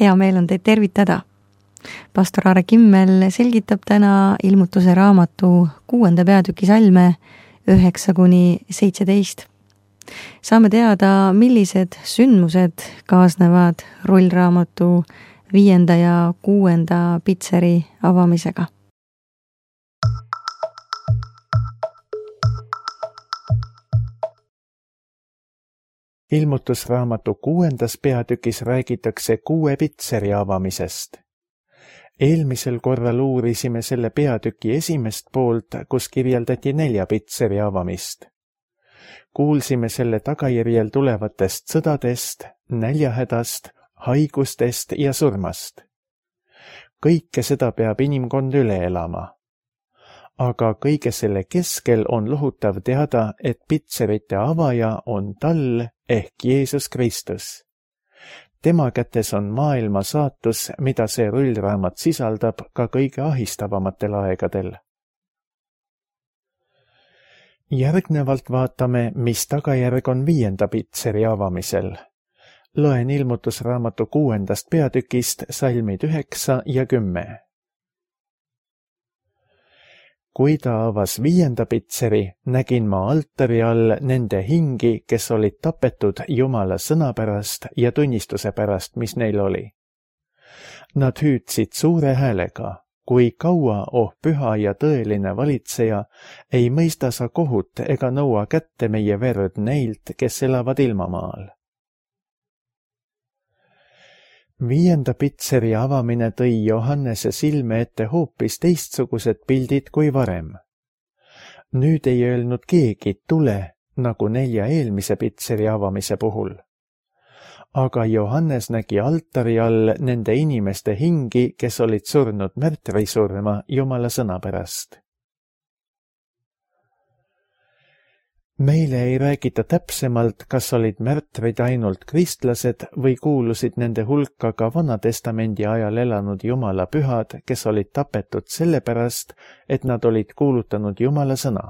Hea meel on teid tervitada. Pastor Aare Kimmel selgitab täna Ilmutuse raamatu 6. peatüki salme 9-17. Saame teada, millised sündmused kaasnevad rullraamatu 5. ja 6. pitseri avamisega. Ilmutusraamatu 6. peatükis räägitakse 6 pitseri avamisest. Eelmisel korral uurisime selle peatüki esimest poolt, kus kirjeldati 4 pitseri avamist. Kuulsime selle tagajärjel tulevatest sõdadest, näljahädast, haigustest ja surmast. Kõike seda peab inimkond üle elama. Aga kõige selle keskel on lohutav teada, et pitserite avaja on tal ehk Jeesus Kristus. Tema kätes on maailma saatus, mida see rullraamat sisaldab ka kõige ahistavamatel aegadel. Järgnevalt vaatame, mis tagajärg on 5. pitseri avamisel. Loen Ilmutusraamatu 6. peatükist salmid 9 ja 10. Kui ta avas 5. pitseri, nägin ma altari all nende hingi, kes olid tapetud Jumala sõna pärast ja tunnistuse pärast, mis neil oli. Nad hüüdsid suure häälega, kui kaua, oh püha ja tõeline valitseja, ei mõista sa kohut ega nõua kätte meie verd neilt, kes elavad ilmamaal. 5. pitseri avamine tõi Johannese silme ette hoopis teistsugused pildid kui varem. Nüüd ei öelnud keegi tule, nagu 4 eelmise pitseri avamise puhul. Aga Johannes nägi altari all nende inimeste hingi, kes olid surnud märtrisurma Jumala sõna pärast. Meile ei räägita täpsemalt, kas olid märtrid ainult kristlased või kuulusid nende hulka ka Vanatestamendi ajal elanud Jumala pühad, kes olid tapetud sellepärast, et nad olid kuulutanud Jumala sõna.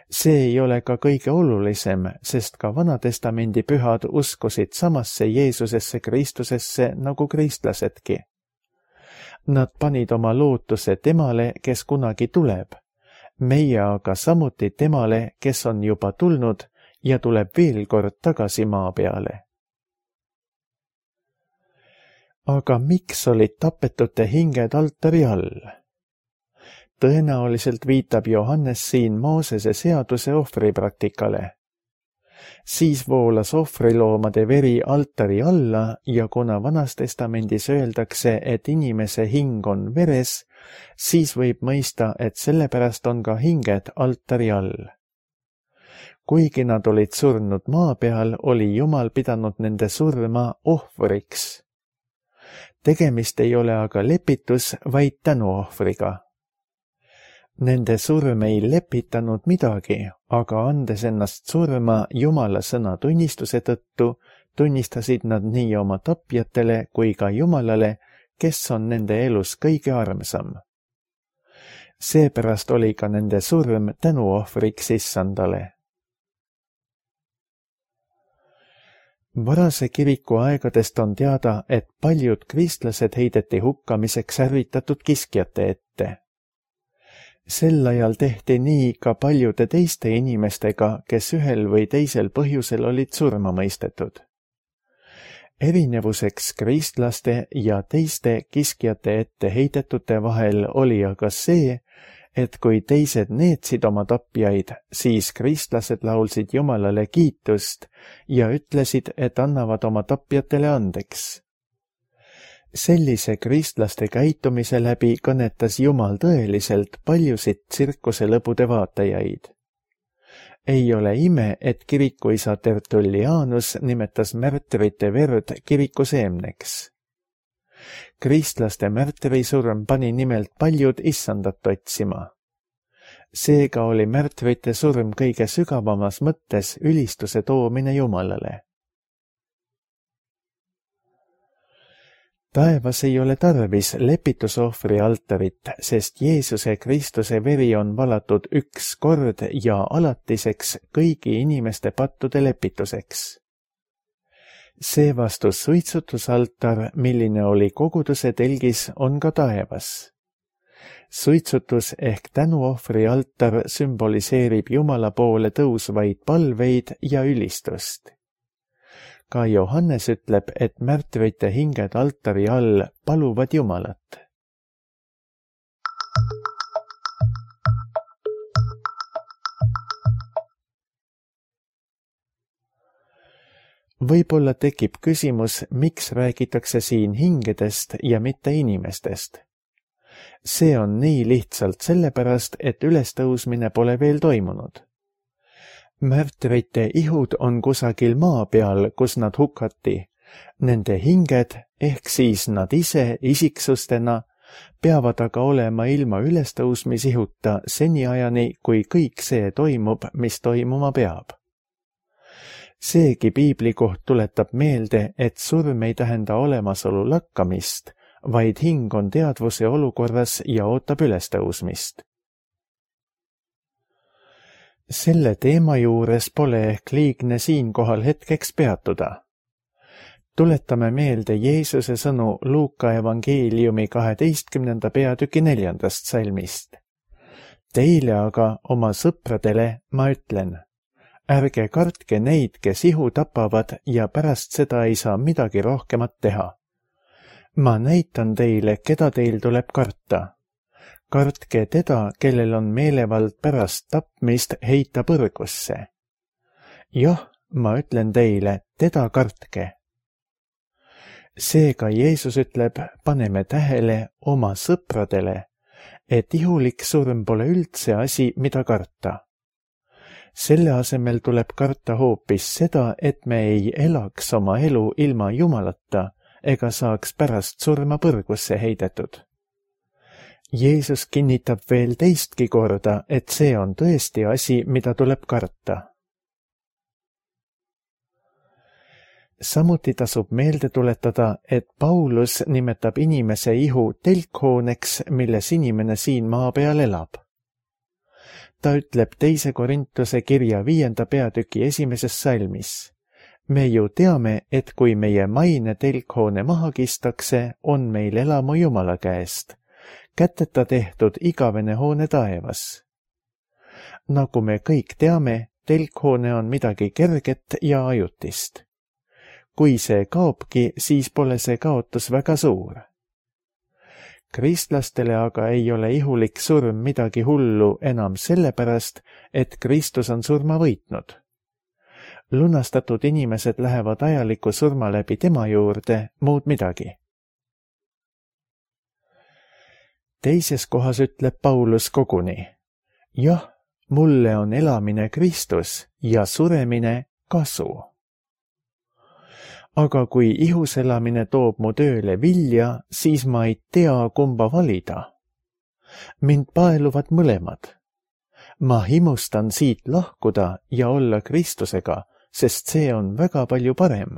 See ei ole ka kõige olulisem, sest ka Vanatestamendi pühad uskusid samasse Jeesusesse Kristusesse nagu kristlasedki. Nad panid oma lootuse temale, kes kunagi tuleb. Meie aga samuti temale, kes on juba tulnud ja tuleb veel kord tagasi maa peale. Aga miks olid tapetute hinged altari all? Tõenäoliselt viitab Johannes siin Moosese seaduse ohvripraktikale. Siis voolas ohvriloomade veri altari alla ja kuna Vanas Testamendis öeldakse, et inimese hing on veres, siis võib mõista, et sellepärast on ka hinged altari all. Kuigi nad olid surnud maa peal, oli Jumal pidanud nende surma ohvriks. Tegemist ei ole aga lepitus, vaid tänuohvriga. Nende surm ei lepitanud midagi, aga andes ennast surma Jumala sõna tunnistuse tõttu, tunnistasid nad nii oma tapjatele kui ka Jumalale, kes on nende elus kõige armsam. Seepärast oli ka nende surm tänuohvriks Issandale. Varase kiriku aegadest on teada, et paljud kristlased heideti hukkamiseks ärritatud kiskjate ette. Sel ajal tehti nii ka paljude teiste inimestega, kes ühel või teisel põhjusel olid surma mõistetud. Erinevuseks kristlaste ja teiste kiskjate ette heidetute vahel oli aga see, et kui teised neetsid oma tapjaid, siis kristlased laulsid Jumalale kiitust ja ütlesid, et annavad oma tapjatele andeks. Sellise kristlaste käitumise läbi kõnetas Jumal tõeliselt paljusid tsirkuselõbude vaatajaid. Ei ole ime, et kirikuisa Tertullianus nimetas märtrite verd kiriku seemneks. Kristlaste märtrisurm pani nimelt paljud Issandat otsima. Seega oli märtrite surm kõige sügavamas mõttes ülistuse toomine Jumalale. Taevas ei ole tarvis lepitusohvri altarit, sest Jeesuse Kristuse veri on valatud üks kord ja alatiseks kõigi inimeste pattude lepituseks. Seevastu suitsutusaltar, milline oli koguduse telgis, on ka taevas. Suitsutus ehk tänuohvri altar sümboliseerib Jumala poole tõusvaid palveid ja ülistust. Ka Johannes ütleb, et märtrite hinged altari all paluvad Jumalat. Võib-olla tekib küsimus, miks räägitakse siin hingedest ja mitte inimestest. See on nii lihtsalt sellepärast, et ülestõusmine pole veel toimunud. Märtrite ihud on kusagil maa peal, kus nad hukati. Nende hinged, ehk siis nad ise isiksustena, peavad aga olema ilma ülestõusmisihuta seniajani, kui kõik see toimub, mis toimuma peab. Seegi piiblikoht tuletab meelde, et surm ei tähenda olemasolu lakkamist, vaid hing on teadvuse olukorras ja ootab ülestõusmist. Selle teema juures pole ehk liigne siinkohal hetkeks peatuda. Tuletame meelde Jeesuse sõnu Luuka evangeeliumi 12. peatüki 4. salmist. Teile aga, oma sõpradele, ma ütlen, ärge kartke neid, kes ihu tapavad ja pärast seda ei saa midagi rohkemat teha. Ma näitan teile, keda teil tuleb karta. Kartke teda, kellel on meelevald pärast tapmist heita põrgusse. Jah, ma ütlen teile, teda kartke. Seega Jeesus ütleb, paneme tähele oma sõpradele, et ihulik surm pole üldse asi, mida karta. Selle asemel tuleb karta hoopis seda, et me ei elaks oma elu ilma Jumalata ega saaks pärast surma põrgusse heidetud. Jeesus kinnitab veel teistki korda, et see on tõesti asi, mida tuleb karta. Samuti tasub meelde tuletada, et Paulus nimetab inimese ihu telkhooneks, milles inimene siin maa peal elab. Ta ütleb 2. Korintuse kirja 5. peatüki 1. salmis. Me ju teame, et kui meie maine telkhoone maha kistakse, on meil elamu Jumala käest, käteta tehtud igavene hoone taevas. Nagu me kõik teame, telkhoone on midagi kerget ja ajutist. Kui see kaobki, siis pole see kaotus väga suur. Kristlastele aga ei ole ihulik surm midagi hullu enam sellepärast, et Kristus on surma võitnud. Lunastatud inimesed lähevad ajaliku surma läbi tema juurde, muud midagi. Teises kohas ütleb Paulus koguni, jah, mulle on elamine Kristus ja suremine kasu. Aga kui ihus elamine toob mu tööle vilja, siis ma ei tea, kumba valida. Mind paeluvad mõlemad. Ma himustan siit lahkuda ja olla Kristusega, sest see on väga palju parem.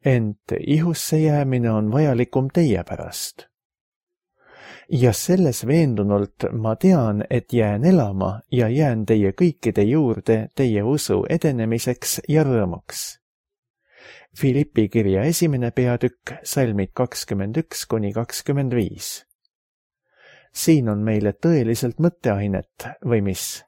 Ent ihusse jäämine on vajalikum teie pärast. Ja selles veendunult ma tean, et jään elama ja jään teie kõikide juurde teie usu edenemiseks ja rõõmuks. Filippi kirja 1. peatükk, salmid 21–25. Siin on meile tõeliselt mõtteainet, või mis?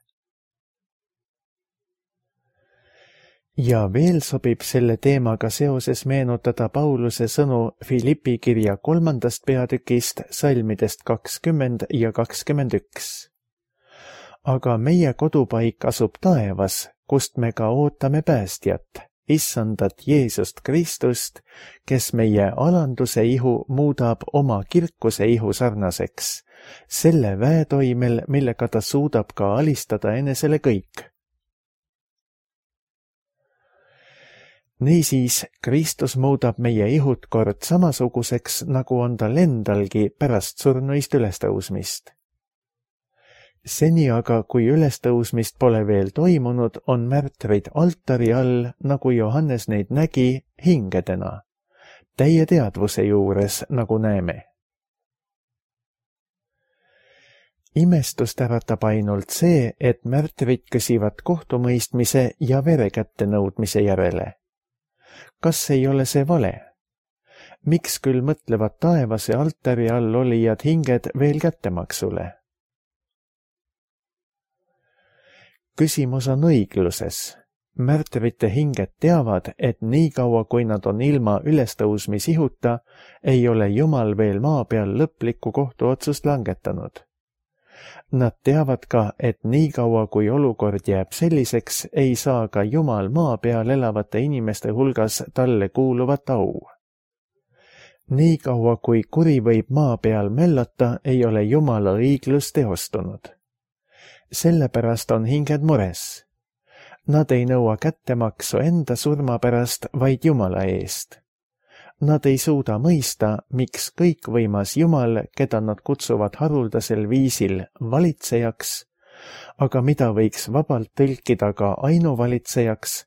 Ja veel sobib selle teemaga seoses meenutada Pauluse sõnu Filippi kirja 3. peatükist, salmidest 20 ja 21. Aga meie kodupaik asub taevas, kust me ka ootame päästjat, Issandat Jeesust Kristust, kes meie alanduse ihu muudab oma kirkuse ihu sarnaseks, selle väetoimel, millega ta suudab ka alistada enesele kõik. Niisiis, Kristus muudab meie ihud kord samasuguseks, nagu on tal endalgi pärast surnuist ülestõusmist. Seni aga, kui ülestõusmist pole veel toimunud, on märtrid altari all, nagu Johannes neid nägi, hingedena, täie teadvuse juures, nagu näeme. Imestust äratab ainult see, et märtrid küsivad kohtumõistmise ja vere kättenõudmise järele. Kas ei ole see vale? Miks küll mõtlevad taevase altari all olijad hinged veel kättemaksule? Küsimus on õigluses. Märtrite hinged teavad, et niikaua kui nad on ilma ülestõusmisihuta, ei ole Jumal veel maa peal lõplikku kohtuotsust langetanud. Nad teavad ka, et niikaua kui olukord jääb selliseks, ei saa ka Jumal maa peal elavate inimeste hulgas talle kuuluvat au. Niikaua kui kuri võib maa peal möllata, ei ole Jumala õiglus teostunud. Sellepärast on hinged mures. Nad ei nõua kättemaksu enda surma pärast, vaid Jumala eest. Nad ei suuda mõista, miks kõikvõimas Jumal, keda nad kutsuvad haruldasel viisil valitsejaks, aga mida võiks vabalt tõlkida ka ainuvalitsejaks,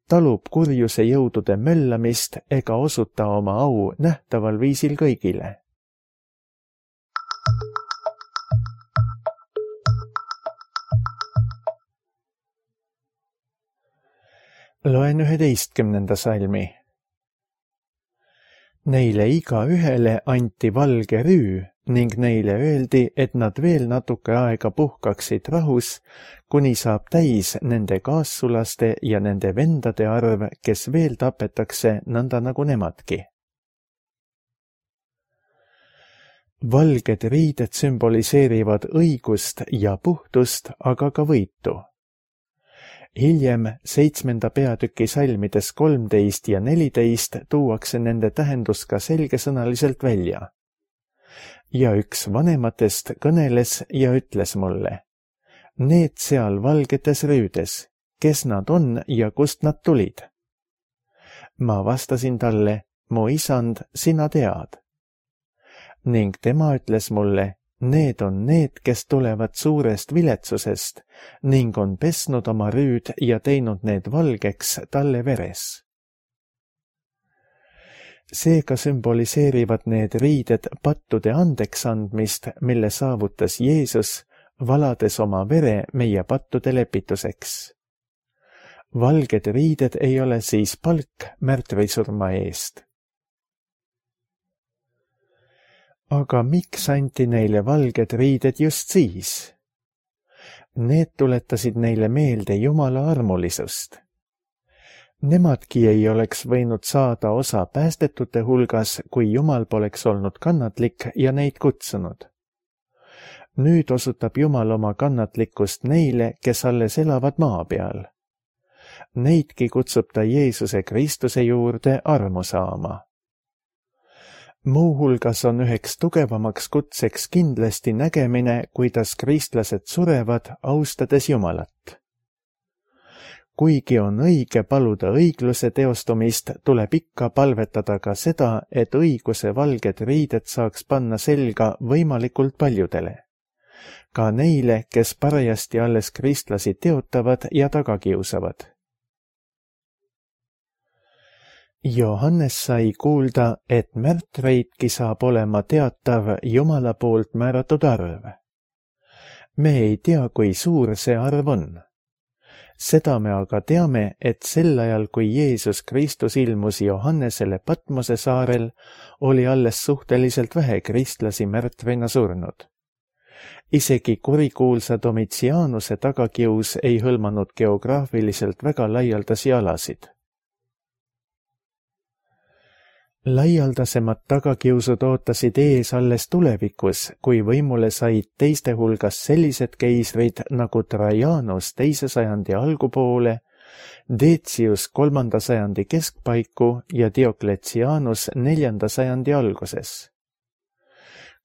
talub kurjuse jõudude möllamist ega osuta oma au nähtaval viisil kõigile. Loen 11. salmi. Neile igaühele anti valge rüü ning neile öeldi, et nad veel natuke aega puhkaksid rahus, kuni saab täis nende kaassulaste ja nende vendade arv, kes veel tapetakse nõnda nagu nemadki. Valged riided sümboliseerivad õigust ja puhtust, aga ka võitu. Hiljem 7. peatüki salmides 13 ja 14 tuuakse nende tähendus ka selgesõnaliselt välja. Ja üks vanematest kõneles ja ütles mulle, need seal valgetes rüüdes, kes nad on ja kust nad tulid? Ma vastasin talle, mu isand, sina tead. Ning tema ütles mulle, need on need, kes tulevad suurest viletsusest ning on pesnud oma rüüd ja teinud need valgeks talle veres. Seega sümboliseerivad need riided pattude andeks andmist, mille saavutas Jeesus, valades oma vere meie pattude lepituseks. Valged riided ei ole siis palk märtrisurma eest. Aga miks anti neile valged riided just siis? Need tuletasid neile meelde Jumala armulisust. Nemadki ei oleks võinud saada osa päästetute hulgas, kui Jumal poleks olnud kannatlik ja neid kutsunud. Nüüd osutab Jumal oma kannatlikkust neile, kes alles elavad maa peal. Neidki kutsub ta Jeesuse Kristuse juurde armu saama. Muuhulgas on üheks tugevamaks kutseks kindlasti nägemine, kuidas kristlased surevad, austades Jumalat. Kuigi on õige paluda õigluse teostumist, tuleb ikka palvetada ka seda, et õiguse valged riided saaks panna selga võimalikult paljudele. Ka neile, kes parajasti alles kristlasi teotavad ja tagakiusavad. Johannes sai kuulda, et märtreidki saab olema teatav Jumala poolt määratud arv. Me ei tea, kui suur see arv on. Seda me aga teame, et sel ajal, kui Jeesus Kristus ilmus Johannesele Patmose saarel, oli alles suhteliselt vähe kristlasi märtrina surnud. Isegi kurikuulsa Domitianuse tagakius ei hõlmanud geograafiliselt väga laialdasi alasid. Laialdasemad tagakiusud ootasid ees alles tulevikus, kui võimule said teiste hulgas sellised keisrid nagu Trajanus 2. sajandi algupoole, Decius 3. sajandi keskpaiku ja Diocletianus 4. sajandi alguses.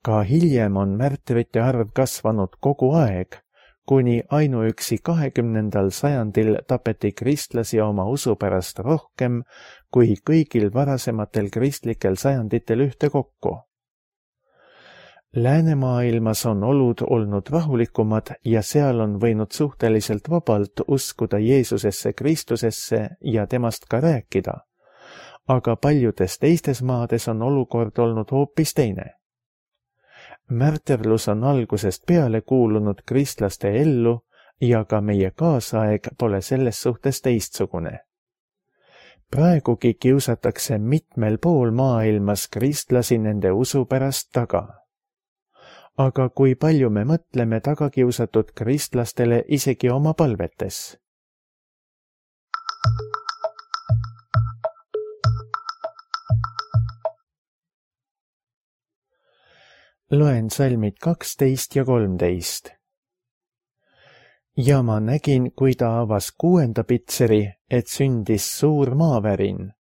Ka hiljem on märtrite arv kasvanud kogu aeg, kuni ainuüksi 20. sajandil tapeti kristlasi oma usu pärast rohkem kui kõigil varasematel kristlikel sajanditel ühtekokku. Läänemaailmas on olud olnud rahulikumad ja seal on võinud suhteliselt vabalt uskuda Jeesusesse Kristusesse ja temast ka rääkida, aga paljudes teistes maades on olukord olnud hoopis teine. Märterlus on algusest peale kuulunud kristlaste ellu ja ka meie kaasaeg pole selles suhtes teistsugune. praegugi kiusatakse mitmel pool maailmas kristlasi nende usu pärast taga. Aga kui palju me mõtleme tagakiusatud kristlastele isegi oma palvetes? Loen salmid 12 ja 13. Ja ma nägin, kui ta avas 6. pitseri, et sündis suur maavärin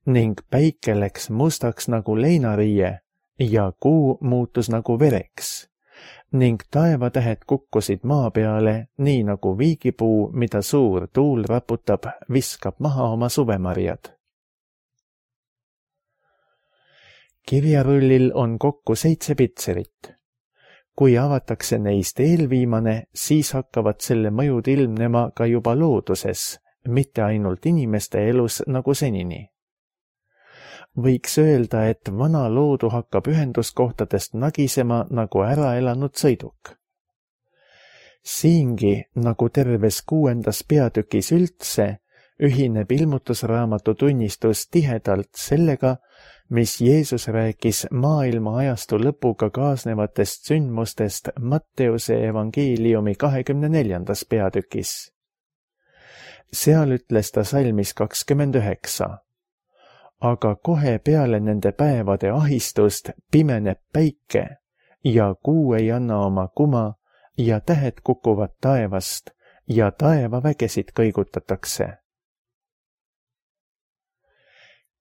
ning päike läks mustaks nagu leinariie ja kuu muutus nagu vereks ning taevatähed kukkusid maa peale, nii nagu viigipuu, mida suur tuul raputab, viskab maha oma suvemarjad. Kirjarullil on kokku 7 pitserit. Kui avatakse neist eelviimane, siis hakkavad selle mõjud ilmnema ka juba looduses, mitte ainult inimeste elus nagu senini. Võiks öelda, et vana loodu hakkab ühenduskohtadest nagisema nagu ära elanud sõiduk. Siingi, nagu terves 6. peatükis üldse, ühineb ilmutusraamatu tunnistus tihedalt sellega, mis Jeesus rääkis maailma ajastu lõpuga kaasnevatest sündmustest Matteuse evangeeliumi 24. peatükis. Seal ütles ta salmis 29. Aga kohe peale nende päevade ahistust pimeneb päike ja kuu ei anna oma kuma ja tähed kukuvad taevast ja taevavägesid kõigutatakse.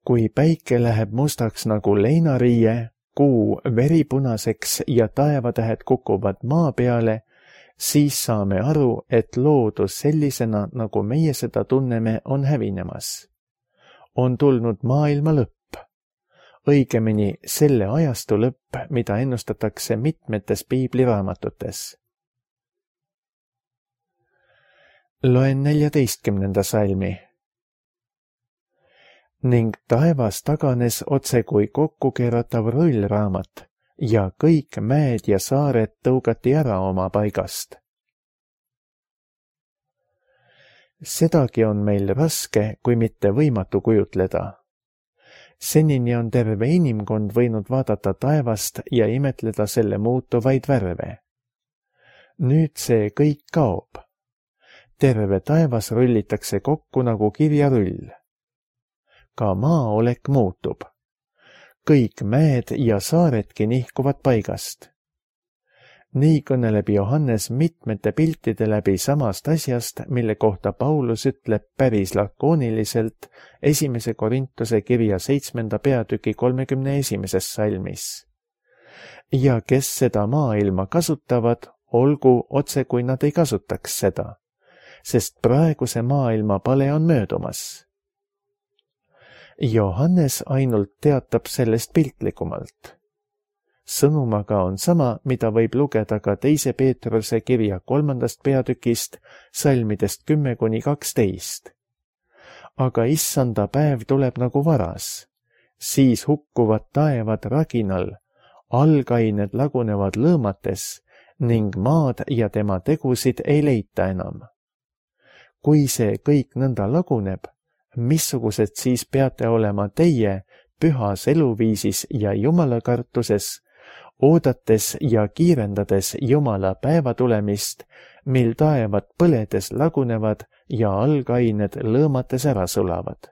Kui päike läheb mustaks nagu leinariie, kuu veripunaseks ja taevatähed kukuvad maa peale, siis saame aru, et loodus sellisena, nagu meie seda tunneme, on hävinemas. On tulnud maailma lõpp, õigemini selle ajastu lõpp, mida ennustatakse mitmetes piibliraamatutes. Loen 14. salmi. Ning taevas taganes otse kui kokkukeeratav rullraamat ja kõik mäed ja saared tõugati ära oma paigast. Sedagi on meil raske, kui mitte võimatu kujutleda. Senini on terve inimkond võinud vaadata taevast ja imetleda selle muutuvaid värve. Nüüd see kõik kaob. Terve taevas rullitakse kokku nagu kirjarull. Ka maaolek muutub. Kõik mäed ja saaredki nihkuvad paigast. Nii kõneleb Johannes mitmete piltide läbi samast asjast, mille kohta Paulus ütleb päris lakooniliselt 1. Korintuse kirja 7. peatüki 31. salmis. Ja kes seda maailma kasutavad, olgu otse kui nad ei kasutaks seda, sest praeguse maailma pale on möödumas. Johannes ainult teatab sellest piltlikumalt. Sõnumaga on sama, mida võib lugeda ka 2. Peetruse kirja 3. peatükist, salmidest 10–12. Aga issanda päev tuleb nagu varas. Siis hukkuvad taevad raginal, algained lagunevad lõõmates ning maad ja tema tegusid ei leita enam. Kui see kõik nõnda laguneb, missugused siis peate olema teie pühas eluviisis ja jumalakartuses, oodates ja kiirendades Jumala päeva tulemist, mil taevad põledes lagunevad ja algained lõõmates ära sulavad.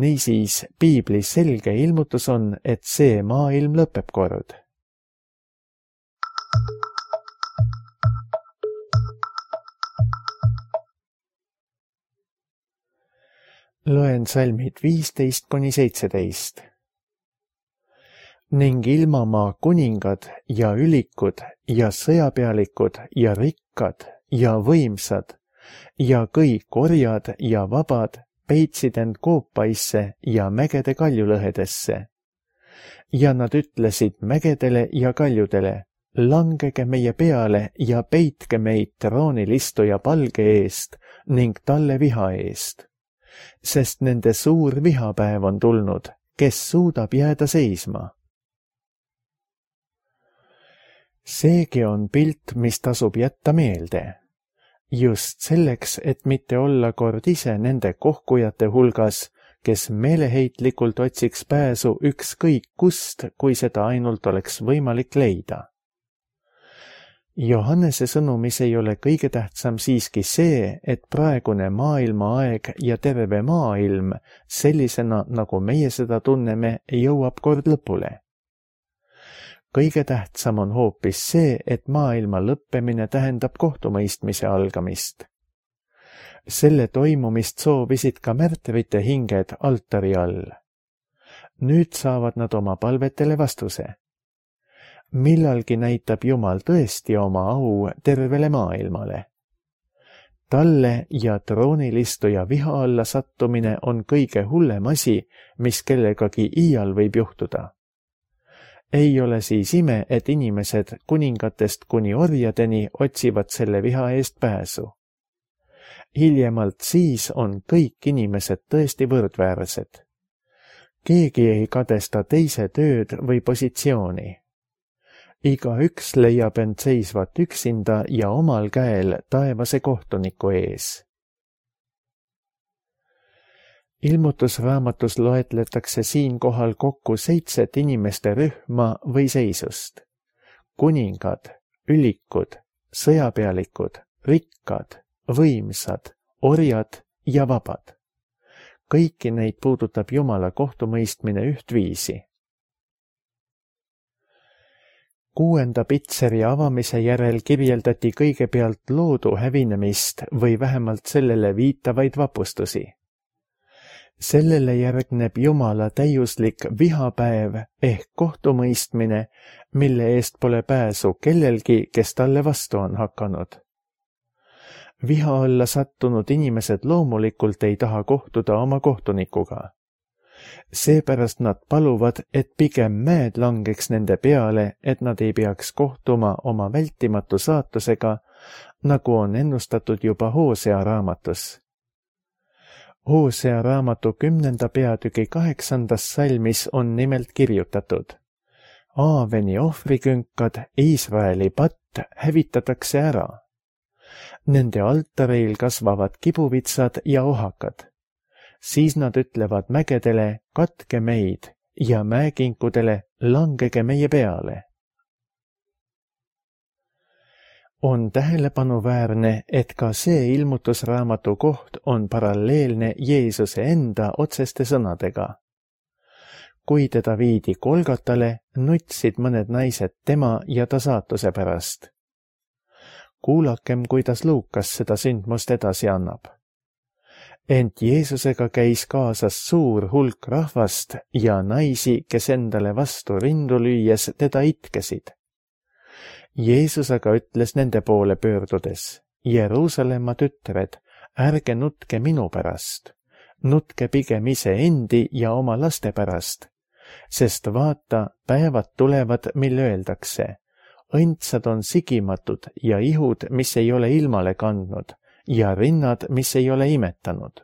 Niisiis, piiblis selge ilmutus on, et see maailm lõpeb kord. Loen salmid 15–17. Ning ilmamaa kuningad ja ülikud ja sõjapealikud ja rikkad ja võimsad ja kõik orjad ja vabad peitsid end koopaisse ja mägede kaljulõhedesse. Ja nad ütlesid mägedele ja kaljudele, langege meie peale ja peitke meid troonil istuja palge eest ning talle viha eest. Sest nende suur vihapäev on tulnud, kes suudab jääda seisma. Seegi on pilt, mis tasub jätta meelde. just selleks, et mitte olla kord ise nende kohkujate hulgas, kes meeleheitlikult otsiks pääsu ükskõik kust, kui seda ainult oleks võimalik leida. Johannese sõnumis ei ole kõige tähtsam siiski see, et praegune maailmaaeg ja terve maailm sellisena, nagu meie seda tunneme, jõuab kord lõpule. Kõige tähtsam on hoopis see, et maailma lõppemine tähendab kohtumõistmise algamist. Selle toimumist soovisid ka märtrite hinged altari all. Nüüd saavad nad oma palvetele vastuse. Millalgi näitab Jumal tõesti oma au tervele maailmale. Talle ja troonilistuja viha alla sattumine on kõige hullem asi, mis kellegagi iial võib juhtuda. Ei ole siis ime, et inimesed kuningatest kuni orjadeni otsivad selle viha eest pääsu. Hiljemalt siis on kõik inimesed tõesti võrdväärsed. Keegi ei kadesta teise tööd või positsiooni. Igaüks leiab end seisvat üksinda ja omal käel taevase kohtuniku ees. Ilmutusraamatus loetletakse siinkohal kokku 7 inimeste rühma või seisust. Kuningad, ülikud, sõjapealikud, rikkad, võimsad, orjad ja vabad. Kõiki neid puudutab Jumala kohtumõistmine ühtviisi. 6. pitseri avamise järel kirjeldati kõigepealt loodu hävinemist või vähemalt sellele viitavaid vapustusi. Sellele järgneb Jumala täiuslik vihapäev ehk kohtumõistmine, mille eest pole pääsu kellelgi, kes talle vastu on hakanud. Viha alla sattunud inimesed loomulikult ei taha kohtuda oma kohtunikuga. Seepärast nad paluvad, et pigem mäed langeks nende peale, et nad ei peaks kohtuma oma vältimatu saatusega, nagu on ennustatud juba Hosea raamatus. Hosea raamatu 10. peatüki 8. salmis on nimelt kirjutatud: Aaveni ohvrikünkad, Iisraeli patt hävitatakse ära. Nende altareil kasvavad kibuvitsad ja ohakad. Siis nad ütlevad mägedele, katke meid, ja mäekinkudele, langege meie peale. On tähelepanuväärne, et ka see ilmutusraamatu koht on paralleelne Jeesuse enda otseste sõnadega. Kui teda viidi Golgatale, nutsid mõned naised tema ja ta saatuse pärast. Kuulakem, kuidas Luukas seda sündmust edasi annab. Ent Jeesusega käis kaasas suur hulk rahvast ja naisi, kes endale vastu rindu lüües teda itkesid. Jeesus aga ütles nende poole pöördudes: Jeruusalemma tütred, ärge nutke minu pärast, nutke pigem iseendi ja oma laste pärast, sest vaata, päevad tulevad, mil öeldakse: õndsad on sigimatud ja ihud, mis ei ole ilmale kandnud, ja rinnad, mis ei ole imetanud.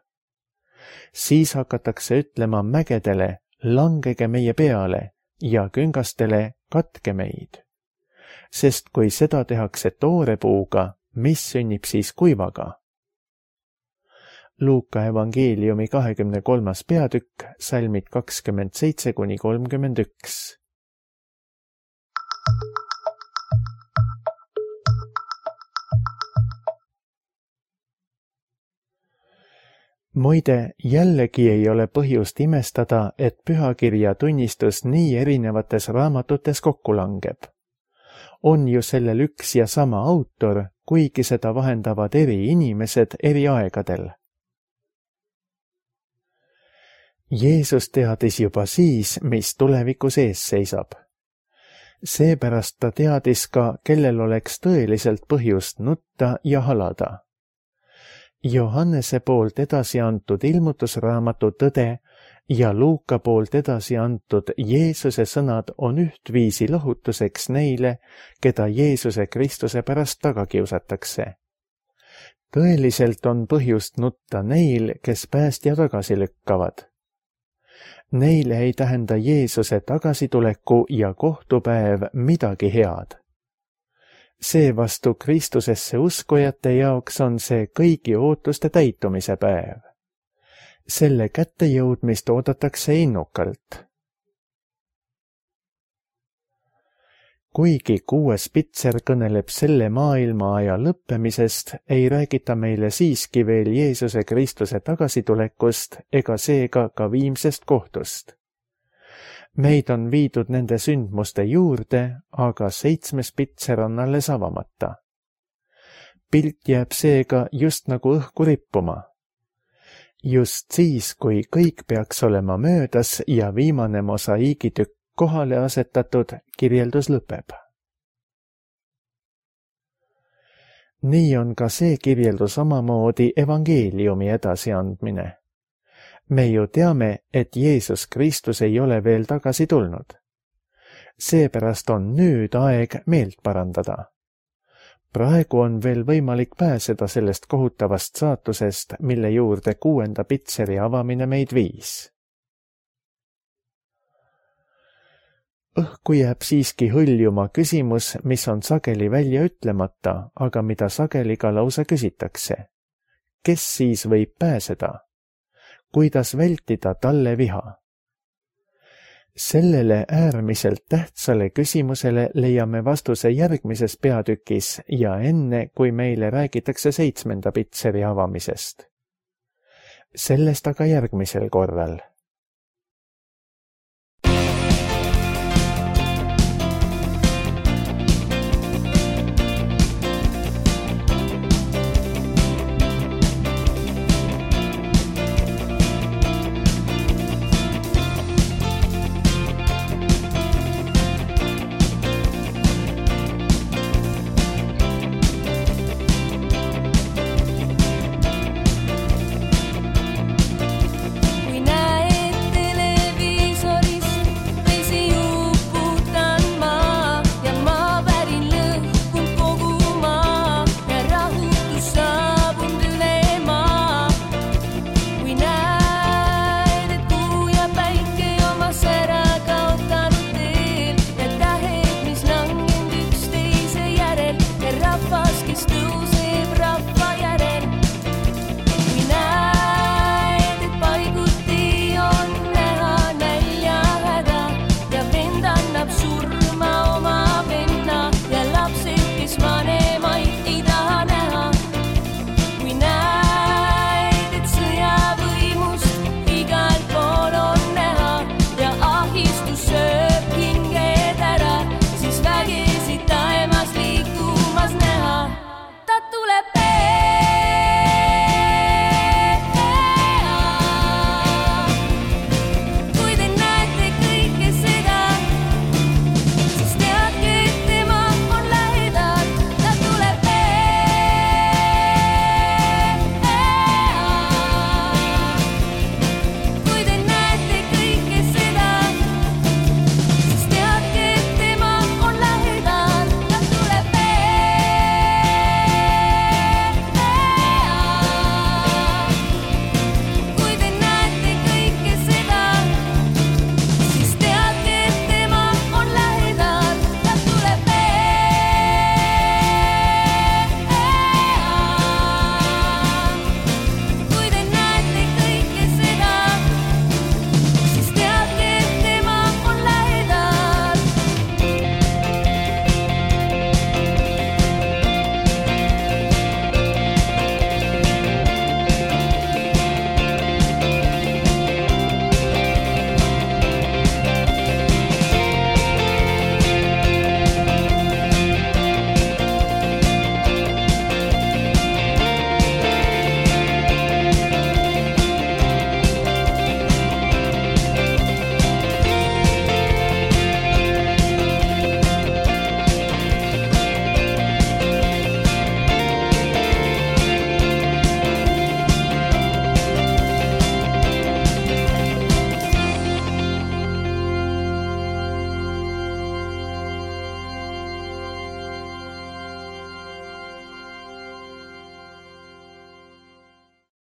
Siis hakatakse ütlema mägedele, langege meie peale, ja küngastele, katke meid. Sest kui seda tehakse toorepuuga, mis sünnib siis kuivaga? Luuka evangeeliumi 23. peatükk, salmid 27–31. Muide, jällegi ei ole põhjust imestada, et pühakirja tunnistus nii erinevates raamatutes kokku langeb. On ju sellel üks ja sama autor, kuigi seda vahendavad eri inimesed eri aegadel. Jeesus teadis juba siis, mis tulevikus ees seisab. Seepärast ta teadis ka, kellel oleks tõeliselt põhjust nutta ja halada. Johannese poolt edasi antud ilmutusraamatu tõde ja Luuka poolt edasi antud Jeesuse sõnad on ühtviisi lohutuseks neile, keda Jeesuse Kristuse pärast taga kiusatakse. Tõeliselt on põhjust nutta neil, kes päästja tagasi lükkavad. Neile ei tähenda Jeesuse tagasituleku ja kohtupäev midagi head. Seevastu Kristusesse uskujate jaoks on see kõigi ootuste täitumise päev. Selle kättejõudmist oodatakse innukalt. Kuigi 6. pitser kõneleb selle maailmaaja lõppemisest, ei räägita meile siiski veel Jeesuse Kristuse tagasitulekust ega seega ka viimsest kohtust. Meid on viidud nende sündmuste juurde, aga 7. pitser on alles avamata. Pilt jääb seega just nagu õhku rippuma. Just siis, kui kõik peaks olema möödas ja viimane mosaiigitükk kohale asetatud, kirjeldus lõpeb. Nii on ka see kirjeldus omamoodi evangeeliumi edasiandmine. Me ju teame, et Jeesus Kristus ei ole veel tagasi tulnud. Seepärast on nüüd aeg meelt parandada. Praegu on veel võimalik pääseda sellest kohutavast saatusest, mille juurde 6. pitseri avamine meid viis. Õhku jääb siiski hõljuma küsimus, mis on sageli välja ütlemata, aga mida sageli ka lausa küsitakse. Kes siis võib pääseda? Kuidas vältida talle viha? Sellele äärmiselt tähtsale küsimusele leiame vastuse järgmises peatükis ja enne, kui meile räägitakse 7. pitseri avamisest. Sellest aga järgmisel korral.